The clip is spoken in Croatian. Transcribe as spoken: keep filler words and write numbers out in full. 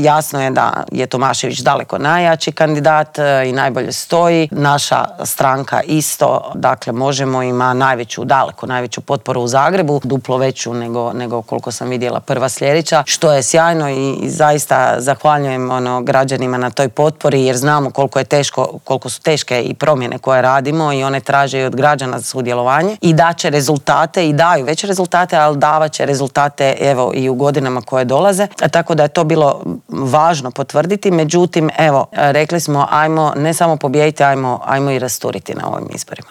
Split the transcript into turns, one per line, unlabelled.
Jasno je da je Tomašević daleko najjači kandidat i najbolje stoji. Naša stranka isto, dakle Možemo ima najveću, daleko najveću potporu u Zagrebu, duplo veću nego, nego koliko sam vidjela prva sljedeća, što je sjajno i, i zaista zahvaljujem ono, građanima na toj potpori jer znamo koliko je teško, koliko su teške i promjene koje radimo i one traže i od građana za sudjelovanje i daće rezultate i daju već rezultate, ali davat će rezultate evo i u godinama koje dolaze. Tako da je to bilo važno potvrditi. Međutim, evo, rekli smo ajmo ne samo pobijediti, ajmo, ajmo i rasturiti na ovim izborima.